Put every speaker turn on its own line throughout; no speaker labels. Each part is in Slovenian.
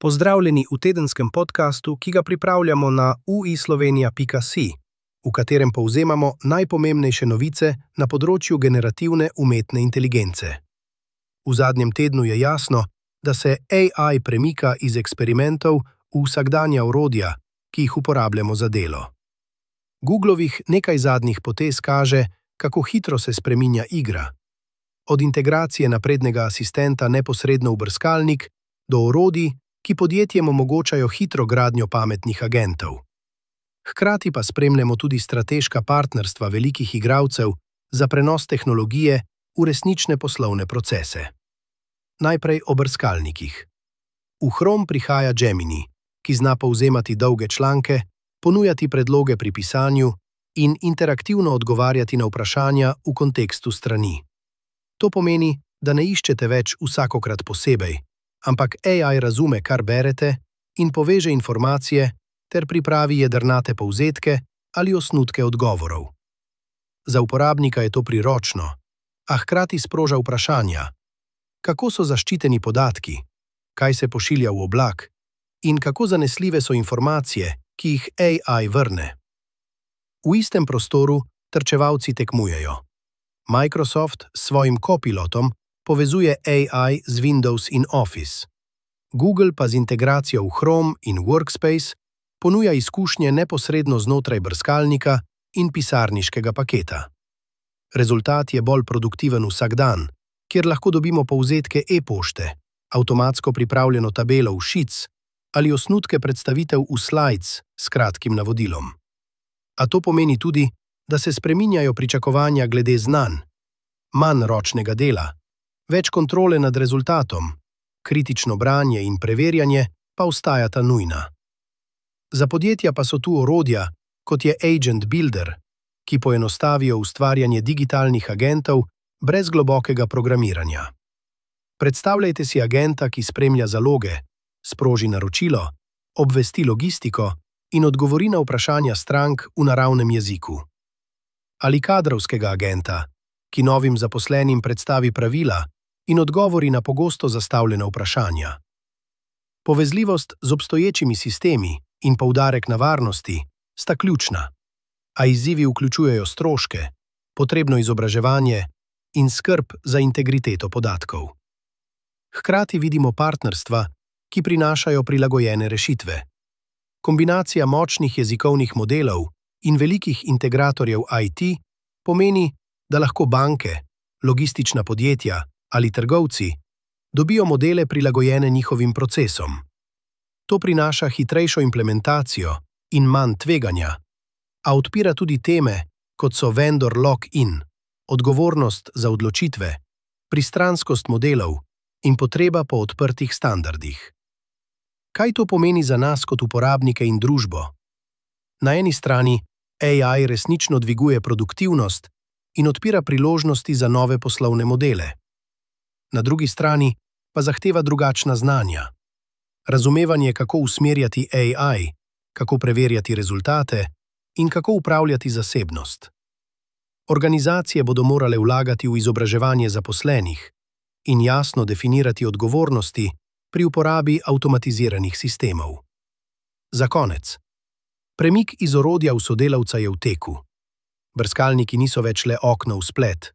Pozdravljeni v tedenskem podkastu, ki ga pripravljamo na uislovenia.si, v katerem povzemamo najpomembnejše novice na področju generativne umetne inteligence. V zadnjem tednu je jasno, da se AI premika iz eksperimentov v vsakdanja orodja, ki jih uporabljamo za delo. Googlovih nekaj zadnjih potez kaže, kako hitro se spreminja igra. Od integracije naprednega asistenta neposredno v brskalnik do orodij, ki podjetjem omogočajo hitro gradnjo pametnih agentov. Hkrati pa spremljamo tudi strateška partnerstva velikih igralcev za prenos tehnologije v resnične poslovne procese. Najprej o brskalnikih. V Chrome prihaja Gemini, ki zna povzemati dolge članke, ponujati predloge pri pisanju in interaktivno odgovarjati na vprašanja v kontekstu strani. To pomeni, da ne iščete več vsakokrat posebej, ampak AI razume, kar berete, in poveže informacije ter pripravi jedrnate povzetke ali osnutke odgovorov. Za uporabnika je to priročno, a hkrati sproža vprašanja, kako so zaščiteni podatki, kaj se pošilja v oblak in kako zanesljive so informacije, ki jih AI vrne. V istem prostoru trčevalci tekmujejo. Microsoft s svojim copilotom povezuje AI z Windows in Office. Google pa z integracijo v Chrome in Workspace ponuja izkušnje neposredno znotraj brskalnika in pisarniškega paketa. Rezultat je bolj produktiven vsak dan, kjer lahko dobimo povzetke e-pošte, avtomatsko pripravljeno tabelo v Sheets ali osnutke predstavitev v Slides s kratkim navodilom. A to pomeni tudi, da se spreminjajo pričakovanja glede znanj, manj ročnega dela, več kontrole nad rezultatom, kritično branje in preverjanje pa ostajata nujna. Za podjetja pa so tu orodja, kot je Agent Builder, ki poenostavijo ustvarjanje digitalnih agentov brez globokega programiranja. Predstavljajte si agenta, ki spremlja zaloge, sproži naročilo, obvesti logistiko in odgovori na vprašanja strank v naravnem jeziku. Ali kadrovskega agenta, ki novim zaposlenim predstavi pravila in odgovori na pogosto zastavljena vprašanja. Povezljivost z obstoječimi sistemi in poudarek na varnosti sta ključna, a izzivi vključujejo stroške, potrebno izobraževanje in skrb za integriteto podatkov. Hkrati vidimo partnerstva, ki prinašajo prilagojene rešitve. Kombinacija močnih jezikovnih modelov in velikih integratorjev IT pomeni, da lahko banke, logistična podjetja ali trgovci dobijo modele prilagojene njihovim procesom. To prinaša hitrejšo implementacijo in manj tveganja, a odpira tudi teme, kot so vendor lock-in, odgovornost za odločitve, pristranskost modelov in potreba po odprtih standardih. Kaj to pomeni za nas kot uporabnike in družbo? Na eni strani AI resnično dviguje produktivnost in odpira priložnosti za nove poslovne modele. Na drugi strani pa zahteva drugačna znanja. Razumevanje, kako usmerjati AI, kako preverjati rezultate in kako upravljati zasebnost. Organizacije bodo morale vlagati v izobraževanje zaposlenih in jasno definirati odgovornosti pri uporabi avtomatiziranih sistemov. Za konec. Premik iz orodja v sodelavca je v teku. Brskalniki niso več le okno v splet,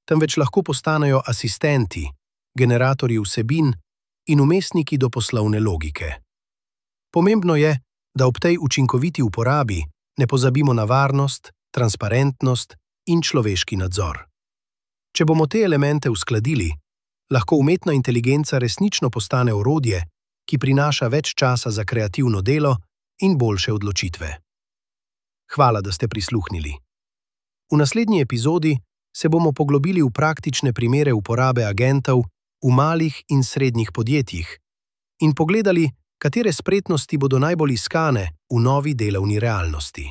temveč lahko postanejo asistenti, generatorji vsebin in vmesniki do poslovne logike. Pomembno je, da ob tej učinkoviti uporabi ne pozabimo na varnost, transparentnost in človeški nadzor. Če bomo te elemente uskladili, lahko umetna inteligenca resnično postane orodje, ki prinaša več časa za kreativno delo in boljše odločitve. Hvala, da ste prisluhnili. V naslednji epizodi se bomo poglobili v praktične primere uporabe agentov v malih in srednjih podjetjih in pogledali, katere spretnosti bodo najbolj iskane v novi delovni realnosti.